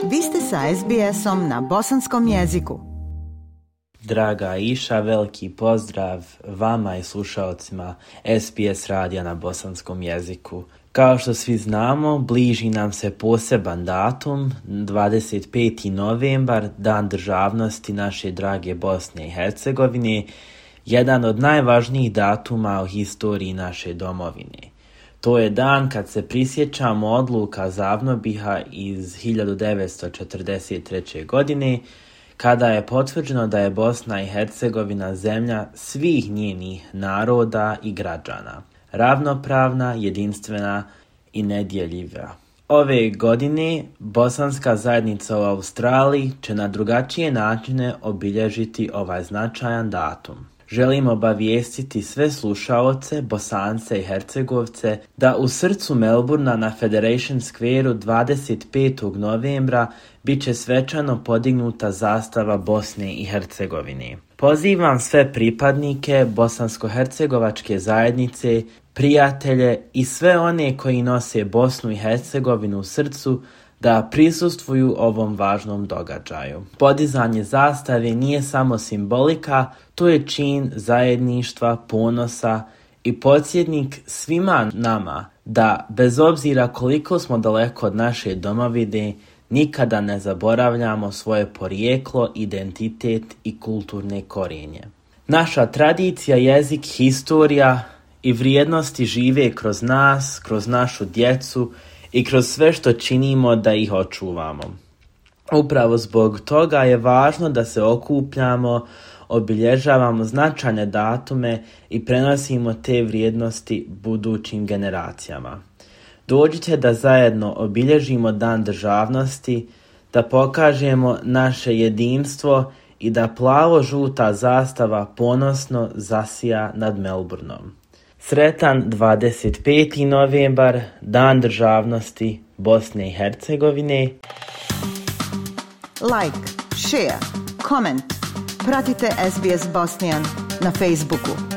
Vi ste sa SBS-om na bosanskom jeziku. Draga Iša, veliki pozdrav vama i slušalcima SBS radija na bosanskom jeziku. Kao što svi znamo, bliži nam se poseban datum, 25. novembar, Dan državnosti naše drage Bosne i Hercegovine, jedan od najvažnijih datuma u historiji naše domovine. To je dan kad se prisjećamo odluka Zavnobiha iz 1943. godine, kada je potvrđeno da je Bosna i Hercegovina zemlja svih njenih naroda i građana, ravnopravna, jedinstvena i nedjeljiva. Ove godine bosanska zajednica u Australiji će na drugačije načine obilježiti ovaj značajan datum. Želim obavijestiti sve slušaoce, Bosance i Hercegovce da u srcu Melburna na Federation Square-u 25. novembra bit će svečano podignuta zastava Bosne i Hercegovine. Pozivam sve pripadnike bosansko-hercegovačke zajednice, prijatelje i sve one koji nose Bosnu i Hercegovinu u srcu da prisustvuju ovom važnom događaju. Podizanje zastave nije samo simbolika, to je čin zajedništva, ponosa i podsjetnik svima nama da, bez obzira koliko smo daleko od naše domovine, nikada ne zaboravljamo svoje porijeklo, identitet i kulturne korijenje. Naša tradicija, jezik, historija i vrijednosti žive kroz nas, kroz našu djecu i kroz sve što činimo da ih očuvamo. Upravo zbog toga je važno da se okupljamo, obilježavamo značajne datume i prenosimo te vrijednosti budućim generacijama. Dođite da zajedno obilježimo Dan državnosti, da pokažemo naše jedinstvo i da plavo-žuta zastava ponosno zasija nad Melbournom. Sretan 25. novembar, Dan državnosti Bosne i Hercegovine. Like, share, comment. Pratite SBS Bosnian na Facebooku.